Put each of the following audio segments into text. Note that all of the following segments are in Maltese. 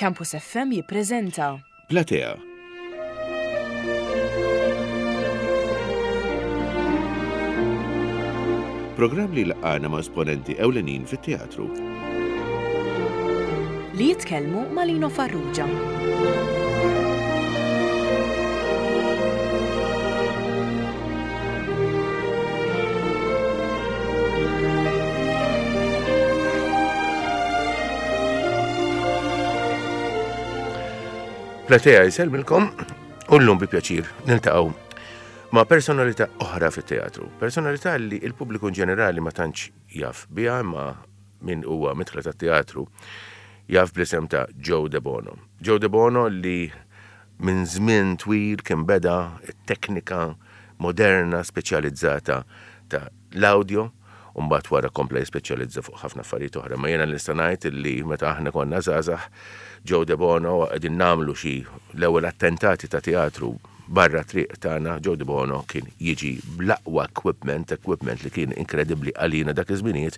Campus FM jippreżenta. Platea. Programm li jlaqqagħna ma' esponenti ewlenin fit-teatru. Li jitkellmu ma' Lino Farrugia. Platea jsellmilkom u llum bi pjaċir niltaqgħu ma' personalità oħra fit-teatru. Personalità li il-pubbliku ġenerali ma tantx jaf biha imma min huwa midħla tat-teatru jaf bl-isem ta' Joe Debono. Joe Debono li minn żmien twil kien beda t-teknika moderna speċjalizzata ta' l-awdjo u mbagħad wara kompla jispeċjalizza fuq ħafna affarijiet oħra. Imma jiena nista' ngħid li meta aħna konna żgħażagħ, Joe Debono qegħdin nagħmlu xi l-ewwel attentati ta' teatru barra t-triq tagħna, Joe Debono kien jiġi bl-aqwa equipment, equipment li kien inkredibbli għalina dak iż-żminijiet,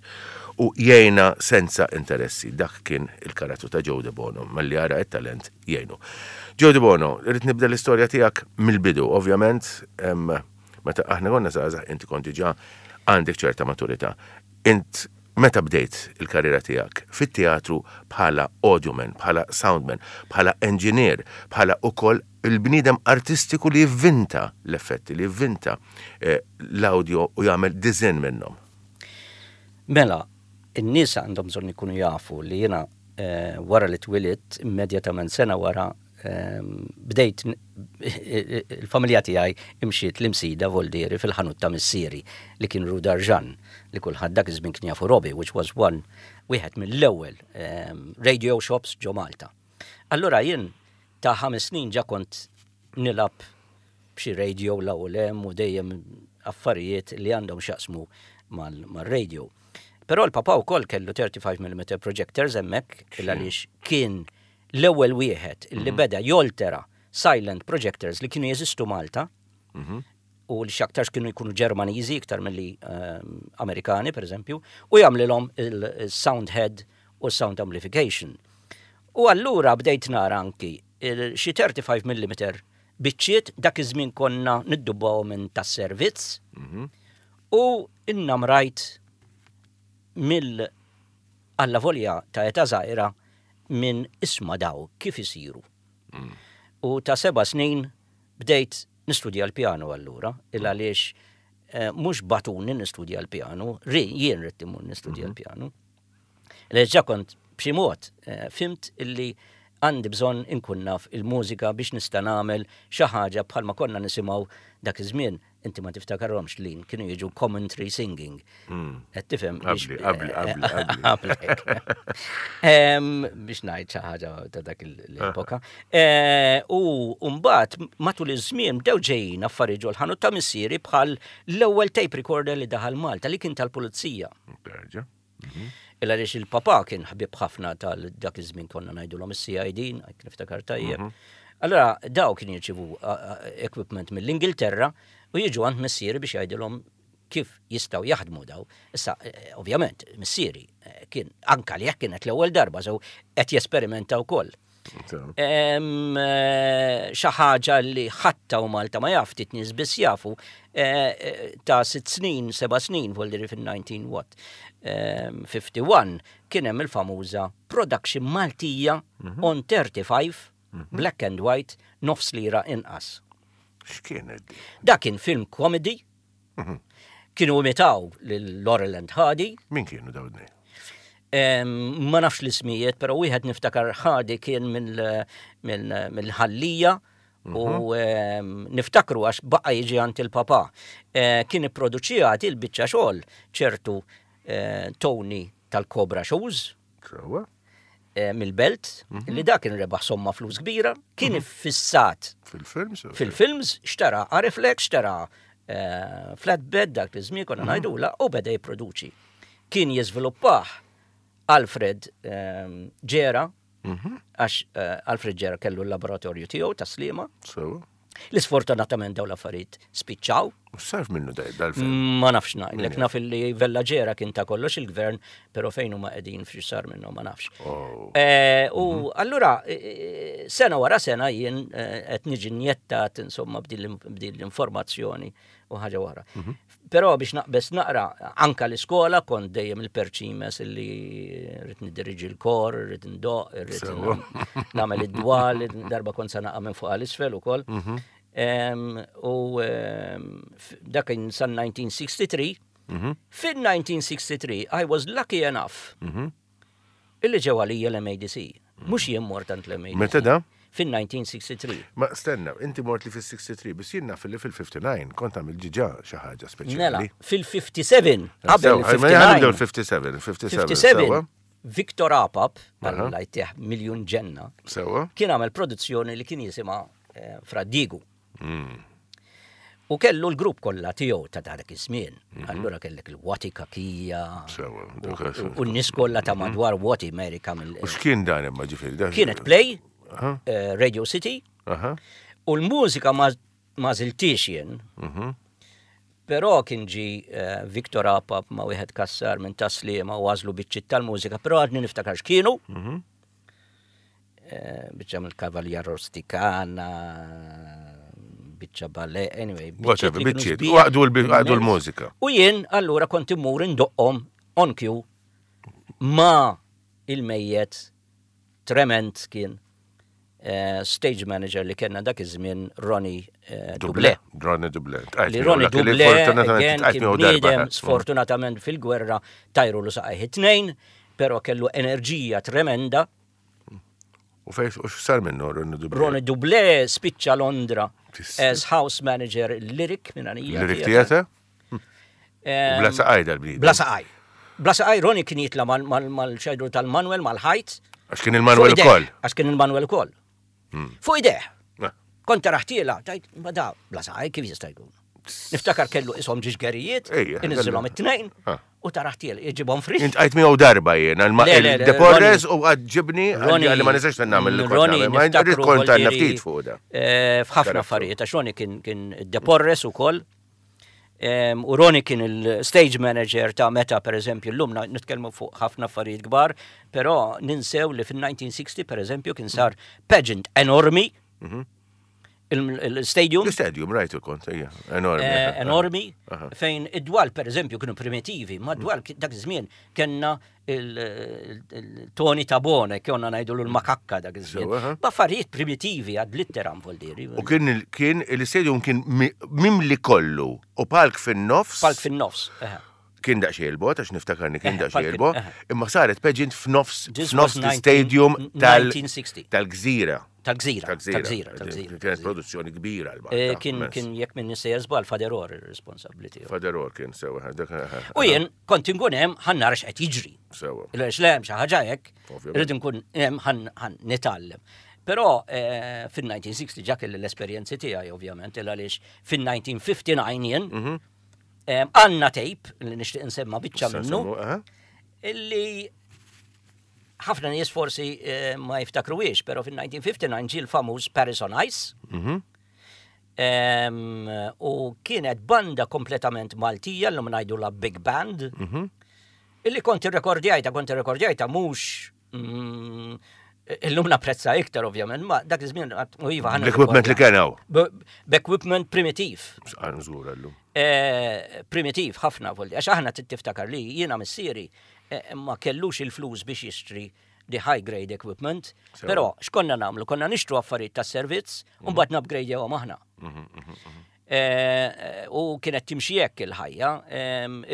u jgħinna senza interessi. Dak kien il-karattru ta' Joe Debono, malli jara t-talent jgħinu. Joe Debono, irrid nibda l-istorja tiegħek mill-bidu, ovvjament, meta aħna konna żgħażagħ inti kont diġà għandek ċerta maturità. Int meta bdejt il-karriera tiegħek fit-teatru bħala audioman, bħala soundman, bħala engineer, bħala ukoll il-bniedem artistiku li jivvinta l-effetti, li jivvinta eh, l-audio u jagħmel design minnhom? Mela, in-nies għandhom bżonn ikunu jafu li jiena eh, wara li twilidt, immedjatament sena wara ehm, bdejt il-familja tiegħi imxiet l-imsida Voldieri fil-ħanut ta' missieri li kien Rudar Ġan li kulħadd dak iż-żmien kien jafu Robi, which was one wieħed mill-ewwel ehm, radio shops ġo Malta. Allura jien ta' ħames snin ġa kont nilgħab b'xi radio 'l hawn u 'l hemm u dejjem affarijiet li għandhom x'jaqsmu mar-radio. Però l-papà wkoll kellu 35 mm projectors hemmhekk il għaliex kien l-ewwel wieħed li mhm. beda joltera silent projectors li kienu jeżistu Malta mhm. u li x'aktarx kienu jkunu Ġermaniżi iktar milli ehm, Amerikani, per eżempju, u jagħmlilhom il-sound head u sound amplification. U allura bdejt nara anki xi 35 mm biċċiet dak iż-żmien konna niddubbawhom minn tas-servizz mhm. u innamrajt mill alla volja ta' età żgħira minn isma' daw kif isiru. Mm. U ta' seba' snin bdejt nistudja l-pjanu allura, il mm. għaliex eh, mhux batuni nistudja l-pjanu, ri jien rrid immur nistudja mhm. l-pjanu. Reġa' kont b'xi mod eh, fimt illi għandi bżonn inkun naf il-mużika biex nista' nagħmel xi ħaġa bħalma konna nisimgħu dak iż-żmien. Inti ma tiftakarhomx li kienu jiġu commentary singing. Hmm. Qed tifhem Qabli, qabli, qabli, qabli. Biex ngħid xi ħaġa ta' dak l-epoka. Eh, u mbagħad matul iż-żmien bdew ġejjin affarijiet ġol-ħanut ta' missieri bħal l-ewwel tape recorder li daħal Malta li kien tal-pulizija. Mhm. Il għaliex il-papa kien ħbib ħafna tal dak iż-żmien konna ngħidulhom is-CID, niftakar tajjeb. Mhm. Allora daw kien jirċivu equipment mill-Ingilterra u jiġu għand missieri biex jgħidilhom kif jistgħu jaħdmu daw. Issa, eh, ovvjament, missieri eh, kien anka li jekk kienet l-ewwel darba, so qed jesperimenta wkoll. Eh, xi ħaġa li ħatta u Malta ma jaf ftit nies biss jafu eh, eh, ta' sitt snin, seba' snin, voldiri fil-19 what, 51 kien hemm il-famuża production Maltija mhm. on 35 mhm. black and white nofs lira inqas. X'kienet? Dak kien film comedy Mhm. Kienu imitaw lil Laurel and Hardy. Min kienu dawn? Ma nafx l-ismijiet, pero wieħed niftakar Hardy kien mill-ħallija u mhm. niftakru għax baqa jiġi għand il-papa. Eh, kien ipproduċija il-biċċa xogħol ċertu eh, Tony tal-Cobra Shoes. Eh, mill-belt, mhm. li dak kien rebaħ somma flus kbira, kien mhm. iffissat fil-films, fil-films, xtara Ariflex, xtara eh, flatbed dak li żmien konna mhm. ngħidula u beda jipproduċi. Kien jiżviluppah Alfred ehm, Ġera, għax eh, Alfred Ġera kellu l-laboratorju tiegħu ta' Slima. Li sfortunatament dawn l-affarijiet spiċċaw. U x'sar minnu dal-film? Ma nafx ngħidlek, naf li Vella Ġera kien ta' kollox il-gvern, però fejn huma qegħdin f'xi sar minnhom ma nafx. Oh. Eh, u mhm. allura eh, eh, sena wara sena jien qed niġi njettat insomma b'din l-informazzjoni u ħaġa wara. Mhm. Però biex naqbes naqra, anka l-iskola kont dejjem il-perċimes li rrid nidiriġi l-kor, rrid ndoq, rrid nagħmel id-dwal, darba kont sa naqa' minn fuq għal isfel ukoll. Mhm. U dak kien san 1963. Mhm. Fin-1963 I was lucky enough mhm. illi ġew għalija l-MADC. Mhux jien mort għand l-MADC. Meta da? Fin-1963. Ma stenna, inti mort li fil-63, biss jien naf li fil-59 kont għamil ġiġa xi ħaġa speċjali. Mela, fil-57, qabel il-59. 57, 57. Victor Apap, Alla jtih miljun ġenna, Sewa. kien għamel produzzjoni li kien jisimha eh, Fra Diegu. Mm. U kellu l-grupp kollha tiegħu ta' dak iż-żmien. Mhm. Allura kellek il-Wati Kakija. Sewa. U n-nies kollha ta' mhm. madwar Wati Mary Kamil. U x'kien dan imma ġifieri? Kienet play, eh, Radio City, u l-mużika ma żiltix jien. Mhm. Però kien ġi eh, Victor Apap ma' wieħed kassar minn taslima u għażlu biċċiet tal-mużika, però għadni niftakar x'kienu. Mhm. Eh, biċċa mill-Kavalja Rosticana, biċċa ballet, anyway. Whatever, biċċiet, u għaqdu l-mużika. U jien allura kont immur indoqqhom on cue ma' il-mejjet trement kien eh, stage manager li kellna dak iż-żmien Ronnie eh, Duble. Ronnie Duble. Li Ronnie Duble again kien bniedem sfortunatament fil-gwerra tajru l saqajh it-tnejn, però kellu enerġija tremenda. U fejn u x'sar minnu Ronnie Duble? Ronnie Duble spiċċa Londra as house manager Lyric minn għalija. Lyric Theatre? Bla saqaj dal-bniedem. Bla saqaj. Bla saqaj Ronnie kien jitla mal-xajdu tal-Manuel, mal-ħajt. Għax kien il-Manuel ukoll. Għax kien il-Manuel ukoll. Hmm. Fuq ideħ. Eh. Kont taraħtiela, tajt, ma da, bla saqaj kif jista' jkun. Niftakar kellu ishom ġiex gerijiet, inżilhom it-tnejn, ah. u taraħtiel, iġibhom fri. Int għajt miegħu darba jien, il-Deporres u għad ġibni għalli ma nistax nagħmel li Roni, niftakru kont għandna ftit fuq da. Eh, f'ħafna affarijiet, għax Roni kien Deporres ukoll. U Roni kien il-stage manager ta' meta, per eżempju, l-lum nitkellmu fuq ħafna affarijiet kbar, però ninsew li fil-1960, per eżempju, kien sar pageant enormi, mhm. il-stadium. Il-stadium, rajtu kont, ejja, enormi. Eh, enormi, fejn id-dwal, per eżempju, kienu primitivi, ma dwal dak iż-żmien kellna il-Tony Tabone, konna ngħidu l-makakka dak iż-żmien. B'affarijiet primitivi għad litteram voldiri. U kien kien il-stadium kien mimli kollu u palk fin-nofs. Palk fin-nofs. Kien daqsxejn il-bot, għax niftakarni kien daqsxejn il-bot, imma saret pageant f'nofs f'nofs l-stadium tal-gżira. Tal-gżira. Tal-gżira. Tal-gżira. Kienet produzzjoni kbira l eh, Kien kien jekk minn sejjer żball Faderor ir-responsabbli tiegħu. Faderor kien sewa. U jien kont inkun hemm ħan nara x'qed jiġri. Sewa. Għax le hemm xi ħaġa hekk, irrid inkun hemm ħan nitgħallem. Però eh, fin-1960 ġa kelli l-esperjenzi tiegħi ovvjament il għaliex fin-1959 jien mhm. eh, għandna tape li nixtieq insemma biċċa minnu illi ħafna nies forsi eh, ma jiftakruhiex, però fin-1959 ġie l-famuż Paris on Ice. Mhm. U kienet banda kompletament Maltija, l-lum ngħidu la Big Band, mhm. illi kont irrekordjajta, kont irrekordjajta mhux mm, illum napprezza iktar ovvjament, ma dak iż-żmien u iva ħana. L-equipment li kien hawn. B'equipment primitiv. Żgur llum. Eh, primitiv ħafna voldi, għax aħna tiftakar li jiena missieri Eh, ma kellux il-flus biex jixtri the high grade equipment, però x'konna nagħmlu? Konna nixtru affarijiet tas-servizz u mhm. mbagħad nupgradewhom aħna. Mhm, mhm, Eh, eh, u kienet timxi hekk il-ħajja.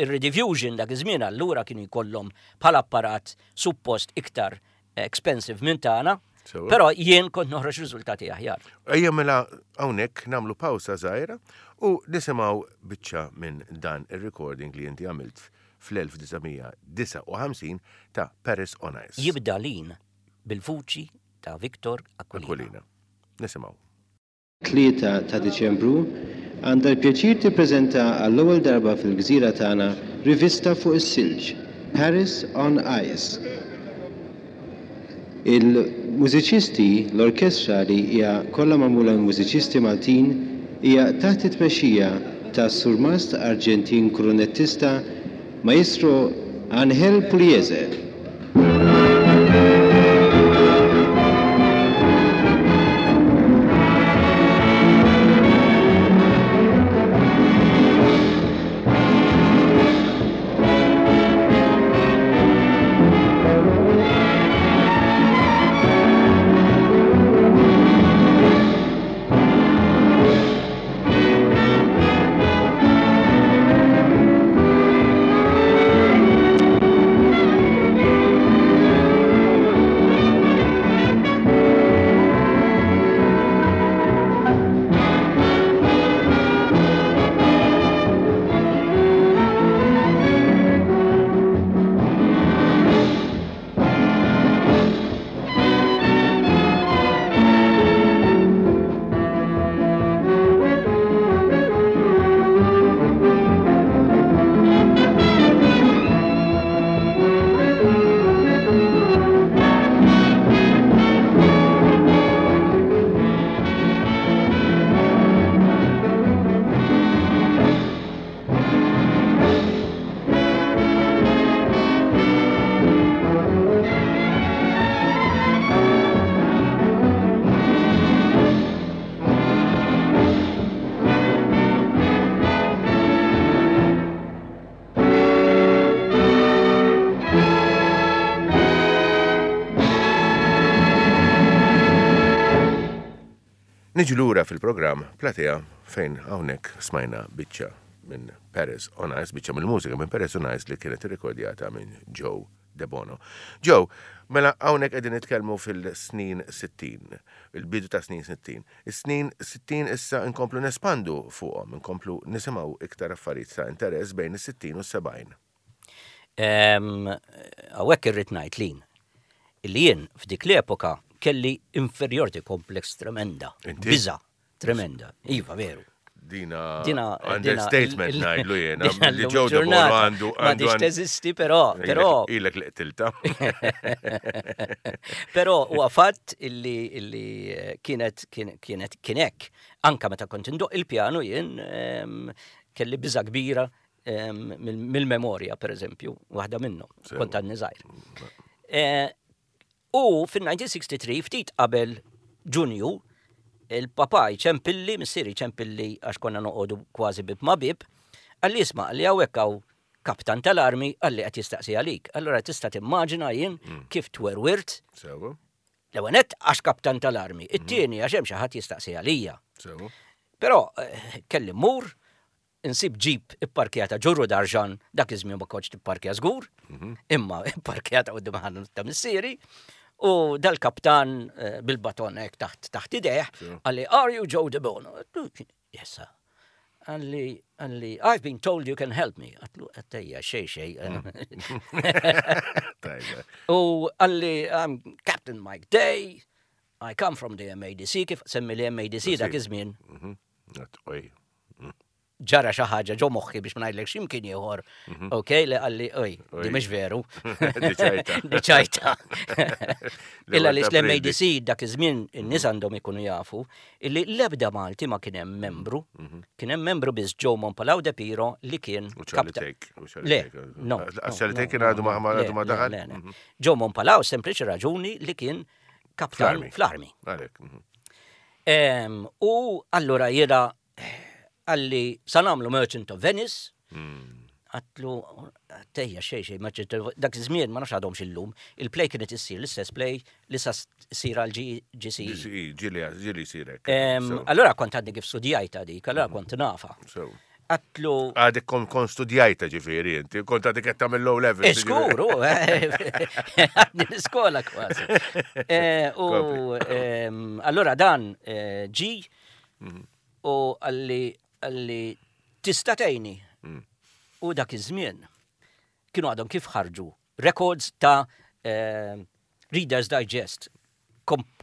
Ir-rediffusion dak iż-żmien allura kienu jkollhom bħala apparat suppost iktar expensive minn tagħna, però jien kont noħroġ riżultati aħjar. Ejja mela hawnhekk nagħmlu pawsa żgħira u nisimgħu biċċa minn dan ir-recording li inti għamilt fl-1959 ta' Paris on Ice. Jibda l-in bil-vuċi ta' Victor Aquilina. Aquilina. Nisimgħu. 3 ta' Diċembru, għandha l-pjaċir tippreżenta għall-ewwel darba fil-gżira tagħna rivista fuq is-silġ, Paris on Ice. Il-mużiċisti, l-orkestra li hija kollha magħmula minn mużiċisti Maltin hija taħt it-tmexxija. tas-Surmast Arġentin krunettista Maestro Angel Pugliese. Niġu lura fil-programm Platea fejn hawnhekk smajna biċċa minn Paris on Ice, biċċa mill-mużika minn Paris on Ice li kienet irrekordjata minn Joe Debono. Joe, mela hawnhekk qegħdin nitkellmu fil-snin 60, il-bidu ta' snin 60. Is-snin 60 issa nkomplu nespandu fuqhom, nkomplu nisimgħu iktar affarijiet ta' interess bejn is-60 u s-70. Hawnhekk irrid ngħid lin li jien f'dik l-epoka kelli inferiority complex tremenda. Biża' tremenda. Iva, veru. Dina, dina understatement ngħidlu jiena. Li ġew ġurnata għandu. Ma diċ teżisti, però. Però. Ilek li qtilta. Però huwa fatt illi illi eh, kienet kienet kienek. Anka meta kont indoq il-pjanu jien ehm, kelli biża kbira ehm, mill-memorja, per eżempju, waħda minnhom, kont għadni żgħir. Eh, U fin-1963, ftit qabel Ġunju, il-papà jċempilli, missieri jċempilli għax konna noqogħdu kważi bieb ma' bieb, qalli isma' qalli hawnhekk hawn kaptan tal-armi qalli qed jistaqsi għalik. Allura tista' timmaġina jien mm. kif twerwirt. Sewa. L-ewwel nett għax kaptan tal-armi, mm. it-tieni għax hemm xi ħadd jistaqsi għalija. Sewa. Però eh, kelli mmur insib ġip ipparkjata ġurru darġan, dak iż-żmien ma kontx tipparkja żgur, mhm. imma ipparkjata quddiem ħanut ta' missieri, u dal-kaptan eh, bil-baton hekk taħt taħt idejh, qalli are you Joe De Bono? Yes, sir. Qalli, qalli, I've been told you can help me. Għatlu, għattejja, xej, xej. Mm. U qalli, I'm Captain Mike Day, I come from the MADC, kif semmi li MADC dak iż-żmien. Mhm. Ġara xi ħaġa ġo moħħi biex ma ngħidlek x'imkien ieħor. Mhm. Ok, li qalli oj, di mhix veru. Di ċajta. Illa li l-MADC dak iż-żmien in-nies mhm. għandhom ikunu jafu illi l-ebda Malti ma kien hemm membru. Mhm. Kien hemm membru biss Joe Mompalaw de Piro li kien Le, no. Charlie kien għadu ma għadu ma daħal. Joe Mompalaw sempliċi raġuni li kien kaptan fl-armi. U allura jiena għalli sa nagħmlu Merchant of Venice, hmm. għatlu tejja xej xej Merchant of dak iż-żmien ma nafx għadhom xillum, il-play kienet issir l-istess play li sa ssir għal GCE. GCE, ġili ġili sirek. Allura kont għadni kif studjajta dik, allura hmm. kont nafa. Għatlu. Għadek kon kon studjajta ġifiri inti, kont għadek qed tagħmel low level. Iskuru, eh, eh, għadni l-iskola kważi. Eh, u ehm, allura dan ġi mhm. u għalli għalli tista' tgħinni. Mm. U dak iż-żmien kienu għadhom kif ħarġu records ta' Reader's Digest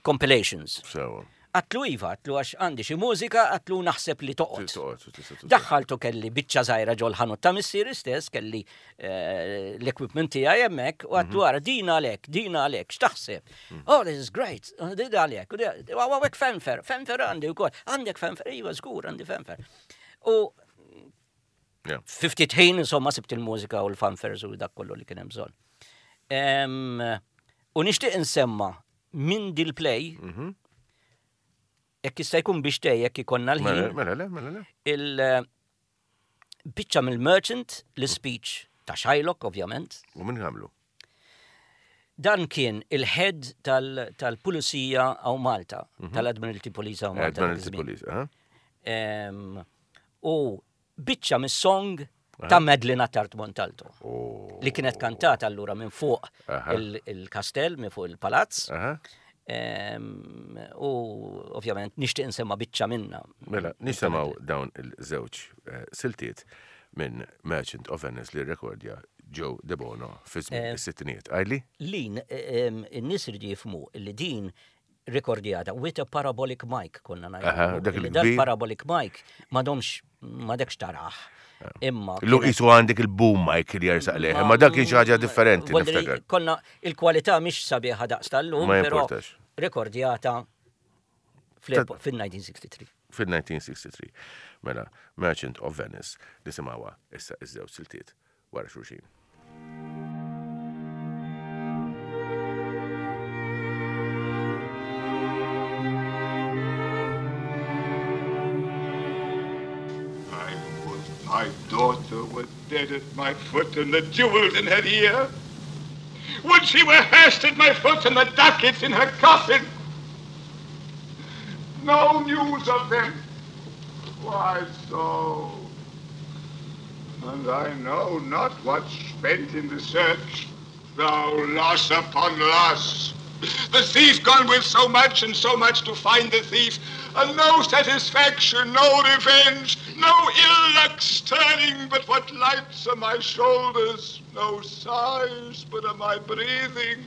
compilations. Sewa. Għatlu iva, għatlu għax għandi xi mużika, għatlu naħseb li toqgħod. Daħħaltu kelli biċċa żgħira ġol ħanut ta' missieri stess, kelli eh, l-equipment tiegħi hemmhekk, u għatlu mhm. ara din għalek, din għalek, x'taħseb? Mhm. Oh, this is great, oh, din għalek, għawek fanfare, fanfare għandi wkoll, għandek fanfare, iva żgur għandi fanfare. U Fi ftit ħin, insomma, sibt il-mużika u l-fanfares u dak kollu li kien hemm bżonn. U nixtieq insemma minn dil-play, mhm. jekk jista' jkun biex tej jekk ikollna l-ħin. Mela, mela, le, mela, le. Il-biċċa mill-merchant, l-speech ta' Shylock, ovvjament. U min għamlu? Dan kien il-head tal-pulizija għaw Malta, mhm. tal-Admiralty Police għaw Malta. Admiralty Police, U biċċa mis-song ta' Madeline Attard Montalto. Oh. Li kienet kantata allura minn fuq il-kastell, minn fuq il-palazz. U ovvjament nixtieq insemma biċċa minna. Mela, nisimgħu dawn il-żewġ eh, siltiet minn Merchant of Venice li rekordja Joe Debono fi żmien eh, is-sittinijiet. Għajli? Lin, eh, in-nies irdu jifhmu li din rikordjata with a parabolic mic konna ngħidu. Dak il parabolic mic m'għadhomx m'għadekx tarah. Imma. Lu qisu għandek il-boom mic li jersaq lejh, imma dak kien xi ħaġa differenti. Konna il-kwalità mhix sabiħa daqs tal-lum, però rekordjata fil-1963. Fil-1963. Mela, Merchant of Venice, nisimgħuha issa iż-żewġ siltiet wara xulxin. I would my daughter were dead at my foot and the jewels in her ear. Would she were hearsed at my foot and the ducats in her coffin. No news of them. Why so? And I know not what's spent in the search. Thou loss upon loss. The thief gone with so much and so much to find the thief, and no satisfaction, no revenge, no ill luck's turning but what lights are my shoulders, no sighs but are my breathing,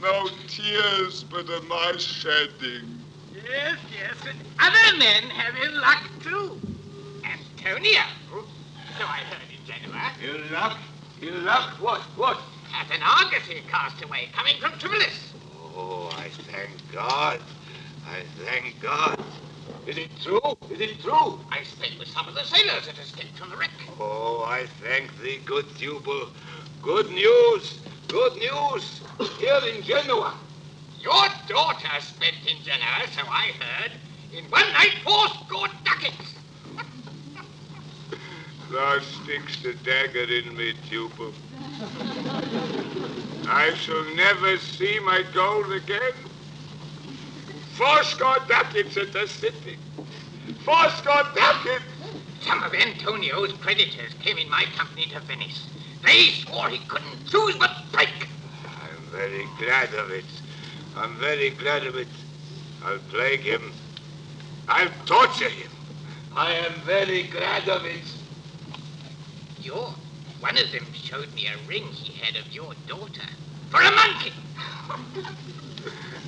no tears but are my shedding. Yes, yes, and other men have ill luck too. Antonio, so I heard in Genoa. Ill luck? Ill luck? What? What? At an Argosy castaway coming from Tripolis. Oh, I thank God. I thank God. Is it true? Is it true? I stayed with some of the sailors that escaped from the wreck. Oh, I thank thee, good Tubal. Good news! Good news! Here in Genoa. Your daughter spent in Genoa, so I heard, in one night fourscore ducats. Thou sticks the dagger in me, Tubal. I shall never see my gold again. Fourscore ducats at the city. Fourscore ducats! Some of Antonio's creditors came in my company to Venice. They swore he couldn't choose but break. I'm very glad of it. I'm very glad of it. I'll plague him. I'll torture him. I am very glad of it. Your one of them showed me a ring he had of your daughter for a monkey.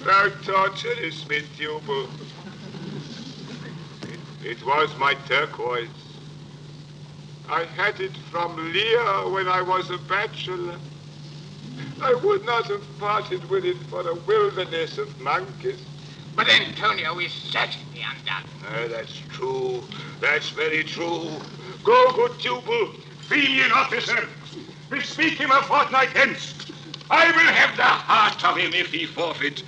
Thou torturest me, Tubal. It, it was my turquoise. I had it from Lear when I was a bachelor. I would not have parted with it for a wilderness of monkeys. But Antonio is certainly undone. Ah, that's true. That's very true. Go, good Tubal. Be an officer. Bespeak him a fortnight hence. I will have the heart of him if he forfeit.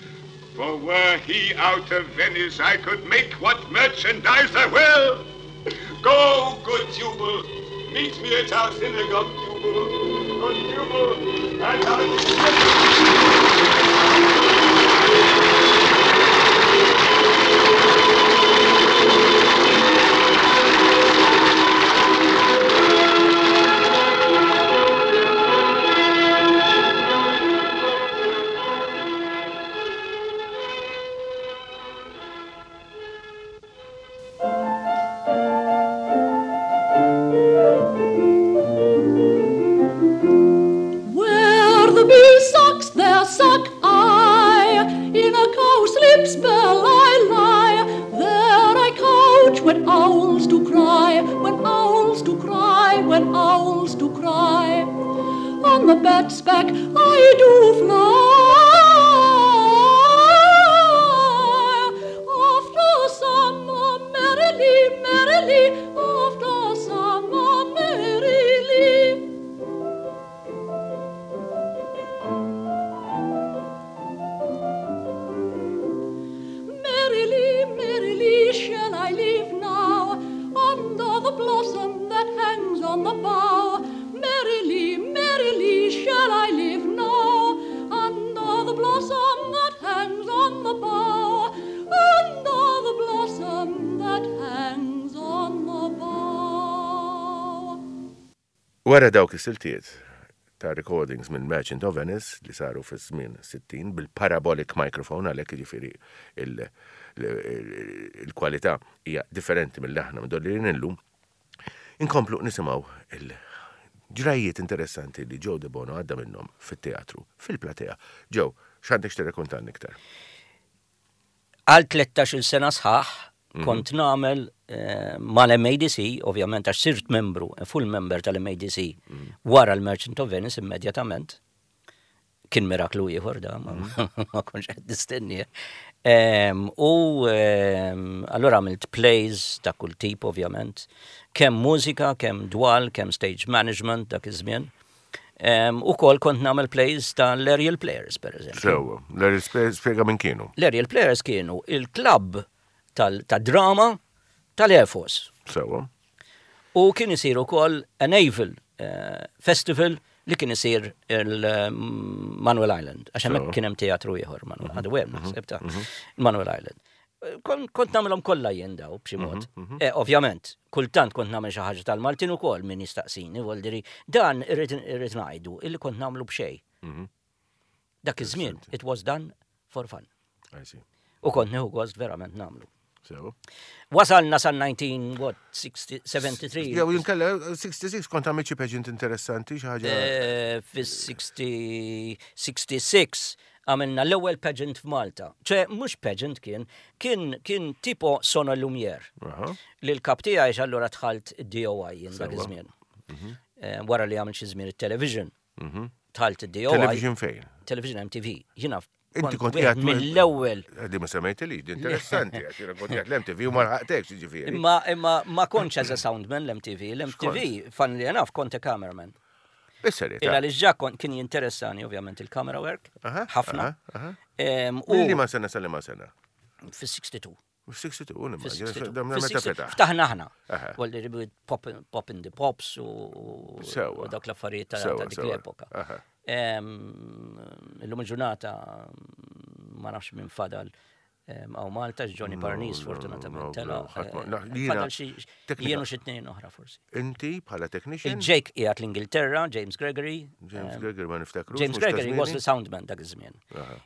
For were he out of Venice, I could make what merchandise I will. Go, good Tubal. Meet me at our synagogue, Tubal. Good Tubal, at our synagogue. Where the bee sucks, there suck I. In a cowslip spell I lie. There I couch when owls do cry, when owls do cry, when owls do cry. On the bat's back I do fly. After summer, merrily, merrily, after summer, merrily. Wara dawk is-siltiet ta' recordings minn Merchant of Venice li saru fiż-żmien 60 bil-parabolic microphone għalhekk jiġifieri il-kwalità hija differenti milli aħna mdorrijin illum, inkomplu nisimgħu il-ġrajjiet interessanti li Joe Debono għadda minnhom fit-teatru, fil-platea. Joe, x'għandek x'tirrakontalna iktar? Għal 13-il sena sħaħ kont nagħmel mal-MADC, ovvjament għax sirt membru, full member tal-MADC wara l-Merchant of Venice immedjatament. Kien miraklu ieħor da, ma kontx qed nistenni. U allura għamilt plays ta' kull tip ovvjament, kemm mużika, kemm dwal, kemm stage management dak iż-żmien. U kol kont namel plays ta' l-Aerial Players, per eżempju. Sewa, l-Aerial Players spiega minn kienu. L-Aerial Players kienu il-klabb tal-drama tal-Air Force. Sewa. U kien isir ukoll a naval eh, festival li kien isir il-Manuel Island. Għax hemmhekk kien hemm teatru ieħor, Manuel, mhm. għadu hemm naħseb ta' mhm. Manuel Island. Kont nagħmilhom kollha jien daw b'xi mhm, mod. Mhm. Eh, ovvjament, kultant kont nagħmel xi ħaġa tal-Maltin ukoll min jistaqsini, voldiri, dan irrid ngħidu illi kont nagħmlu b'xejn. Mhm. Dak iż-żmien, it was done for fun. U kont nieħu gost verament nagħmlu. So. Wasalna sa 19, what, 73. Jew jinkella 66 kont għamilt xi pageant interessanti xi ħaġa. Eh, Fis-66 Għamilna l-ewwel pageant f'Malta. ċe mhux pageant kien, kien kien tipo Sono Lumiere. Li l-kap tiegħi allura dħalt id-DOI jien dak iż-żmien. Mhm. Eh, wara li għamilt xi żmien it-television. Mhm. Dħalt id-DOI. Television fejn? Television MTV. Jiena Inti kont qiegħed mill-ewwel. Eh, di ma semmejt li, di interessanti, għax jiena kont qiegħed l-MTV u ma lħaqtekx jiġifieri. Imma imma ma kontx as a soundman l-MTV, l-MTV funnily enough kont a cameraman. Bis-serjetà. Illa li ġa kien jinteressani ovvjament il-camera work, ħafna. U li ma sena sal ma sena? Fis-62. Fis-62, nimmaġina. Ftaħna aħna. Walli ribid pop in the pops u dak l-affarijiet ta' dik l-epoka. Illum il-ġurnata ma nafx minn fadal Għaw Malta, Johnny Parnis, fortunatament, tela. Fadal xi jienu xi tnejn oħra forsi. Inti bħala technician? Il-Jake qiegħed l-Ingilterra, James Gregory. James Gregory ma niftakru. James Gregory was the soundman dak iż-żmien.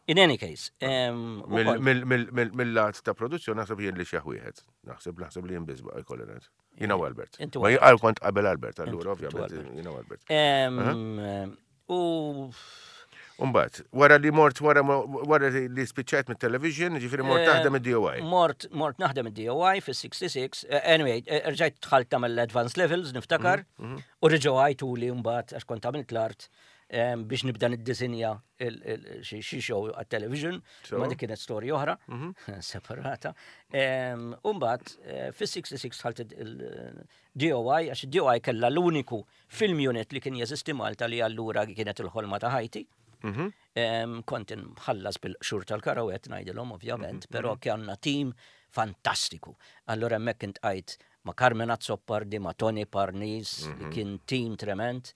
In any case. Mill-lat ta' produzzjoni naħseb jien li xi wieħed. Naħseb naħseb li jien biss baqa' jkolli ngħid. Jiena u Albert. Ma jien kont qabel Albert, allura ovvjament jiena u Albert. U Umbat, wara li mort, wara, wara li spiċċajt mit-television, ġifiri mort eh, taħdem id-DOI. Mort, mort naħdem id-DOI fis-66, eh, anyway, eh, rġajt dħalt tagħmel l-advanced levels, niftakar, mhm, mhm. u reġgħu għajtu li mbagħad għax kont għamilt l-art biex nibda niddisinja xi show għat-television, ma dik kienet storja oħra, mhm. separata. U mbagħad fis-66 dħalt il-DOI, għax id-DOI kellha l-uniku Film unit li kien jeżisti Malta li allura kienet il-ħolma ta' ħajti. Mhm. Kont inħallas bil-qxur tal-karawet ngħidilhom ovvjament, mhm, però mhm. kellna tim fantastiku. Allura hemmhekk intqajt ma' Carmen Azzopardi, ma' Tony Parnis, li kien tim trement.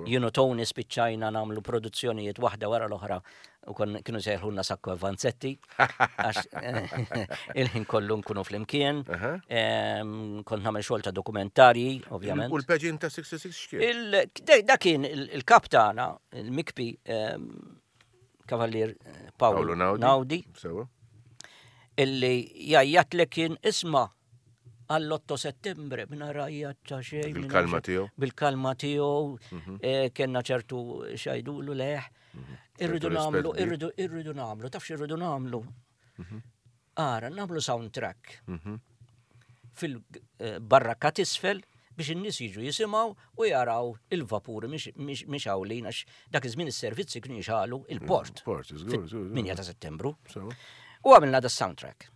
Jien u Tony spiċċajna nagħmlu produzzjonijiet waħda wara l-oħra u kienu sejħulna Sacco e Vanzetti, għax il-ħin kollu nkunu flimkien. Kont nagħmel xogħol ta' dokumentarji, ovvjament. U l-pageant ta' 66 x'kien? Da kien il-kap tagħna, il-mikpi Kavallier eh, Paolo Naudi. Illi jgħajjatlek kien isma' għall-8 settembre minn rajja ta' xejn. Bil-kalma tiegħu. Bil-kalma tiegħu, mhm. eh, kellna ċertu xajdulu leħ. Mhm. Irridu nagħmlu, irridu irridu nagħmlu, taf x'irridu nagħmlu. Mhm. Ara, nagħmlu soundtrack. Mhm. Fil-barrakka tisfel biex in-nies jiġu jisimgħu u jaraw il-vapuri mixgħulin għax dak iż-żmien is-servizzi kienu jixgħalu il-port. Port, żgur, żgur. 8 ta' Settembru. U għamilna da soundtrack.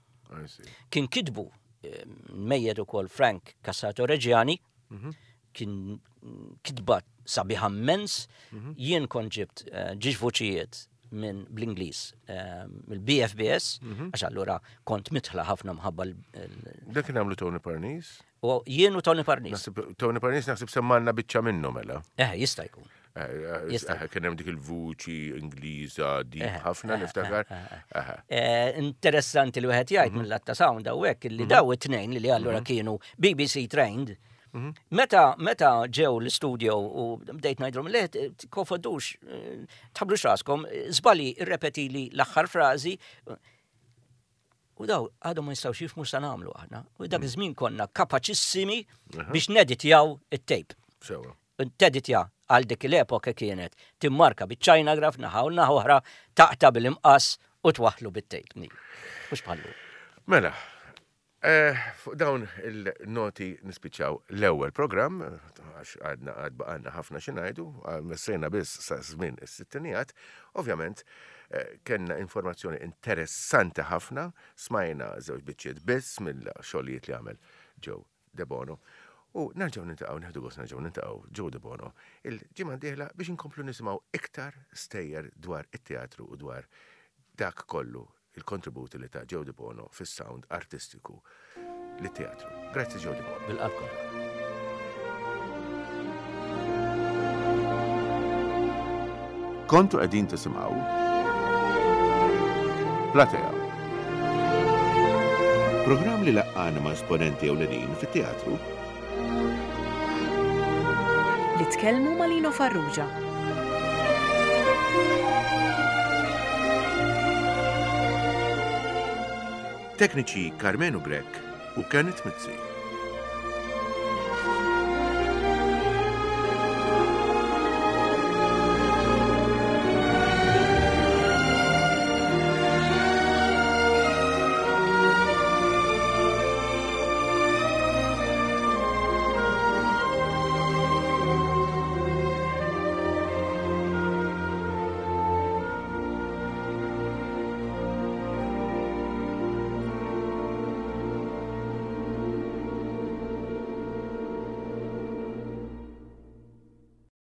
Kien kitbu eh, mejjed ukoll Frank Cassato Reġjani, kien kitba sabiħa mmens, mhm. jien kont ġibt eh, ġiex vuċijiet minn bl-Ingliż eh, mill-BFBS, mhm. għax allura kont mitħla ħafna mħabba l. Dak kien għamlu Tony Parnis? U jien u Tony Parnis. Tony Parnis naħseb semmanna biċċa minnu mela. Eh, jista' jkun. Eh, kien hemm dik il-vuċi Ingliża di ħafna niftakar. Interessanti li wieħed jgħid mhm. mill-att ta' sound hawnhekk li mhm. daw it-tnejn li allura kienu BBC trained. Meta meta ġew l-istudio u bdejt ngħidlhom le tkonfondux, tħablux raskom, żbali irrepetili l-aħħar frażi. U daw għadhom ma jistgħux jifhmu sa nagħmlu aħna. U dak iż-żmien konna kapaċissimi biex neditjaw it-tape. Sewa. Teditja għal dik l-epoka kienet timmarka biċ-China graph naħa u naħa oħra taqta' bil-imqass u twaħħlu bit-tape. Mhux bħal-lum. Mela, eh, fuq dawn il-noti nispiċċaw l-ewwel programm, għax għadna għad baqgħalna ħafna xi ngħidu, messejna biss sa żmien is-sittinijat, ovvjament eh, kellna informazzjoni interessanti ħafna, smajna żewġ biċċiet biss mill-xogħlijiet li għamel Joe Debono. U nerġgħu niltaqgħu, nieħdu gost nerġgħu niltaqgħu Joe Debono il-ġimgħa d-dieħla biex inkomplu nisimgħu iktar stejjer dwar it-teatru u dwar dak kollu il-kontributi li ta Joe Debono fis-sound artistiku lit-teatru. Grazzi Joe Debono. Bil-qalb kollha. Kontu qegħdin tisimgħu Platea. Programm li laqqana ma' esponenti ewlenin fit-teatru. Li tkellmu ma' Lino Farrugia. Tekniċi Karmenu Grech u Kenneth Mizzi.